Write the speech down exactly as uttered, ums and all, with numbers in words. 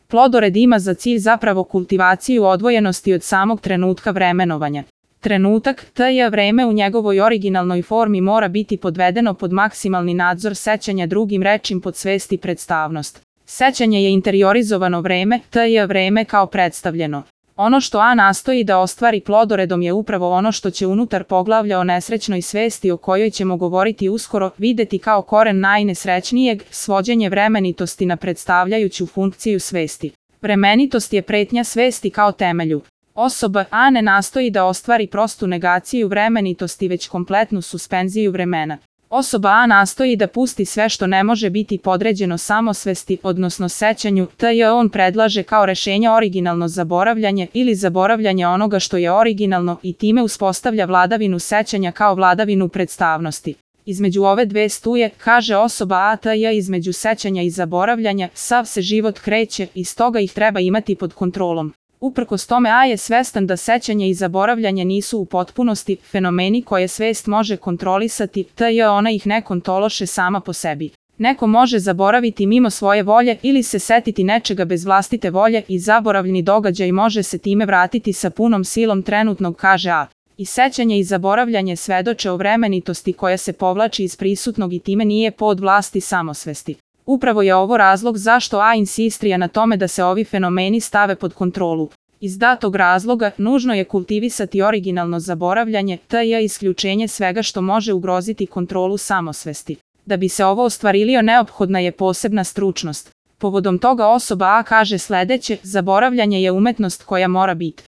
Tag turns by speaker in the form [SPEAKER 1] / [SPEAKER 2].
[SPEAKER 1] Plodored ima za cilj zapravo kultivaciju odvojenosti od samog trenutka vremenovanja. Trenutak, to je vreme u njegovoj originalnoj formi mora biti podvedeno pod maksimalni nadzor sećanja, drugim rečim pod svest i predstavnost. Sećanje je interiorizovano vreme, to je vreme kao predstavljeno. Ono što A nastoji da ostvari plodoredom je upravo ono što će unutar poglavlja o nesrećnoj svesti o kojoj ćemo govoriti uskoro videti kao koren najnesrećnijeg, svođenje vremenitosti na predstavljajuću funkciju svesti. Vremenitost je pretnja svesti kao temelju. Osoba A ne nastoji da ostvari prostu negaciju vremenitosti već kompletnu suspenziju vremena. Osoba A nastoji da pusti sve što ne može biti podređeno samosvesti, odnosno sećanju, te on predlaže kao rešenje originalno zaboravljanje ili zaboravljanje onoga što je originalno i time uspostavlja vladavinu sećanja kao vladavinu predstavnosti. Između ove dve stuje, kaže osoba A, te između sećanja i zaboravljanja, sav se život kreće i stoga ih treba imati pod kontrolom. Uprkos tome A je svestan da sećanje i zaboravljanje nisu u potpunosti fenomeni koje svest može kontrolisati, te ona ih ne kontroliše sama po sebi. Neko može zaboraviti mimo svoje volje ili se setiti nečega bez vlastite volje i zaboravljeni događaj može se time vratiti sa punom silom trenutnog, kaže A. I sećanje i zaboravljanje svedoče o vremenitosti koja se povlači iz prisutnog i time nije pod vlasti samosvesti. Upravo je ovo razlog zašto A insistira na tome da se ovi fenomeni stave pod kontrolu. Iz datog razloga, nužno je kultivisati originalno zaboravljanje, te je isključenje svega što može ugroziti kontrolu samosvesti. Da bi se ovo ostvarilio neophodna je posebna stručnost. Povodom toga osoba A kaže sledeće: zaboravljanje je umetnost koja mora biti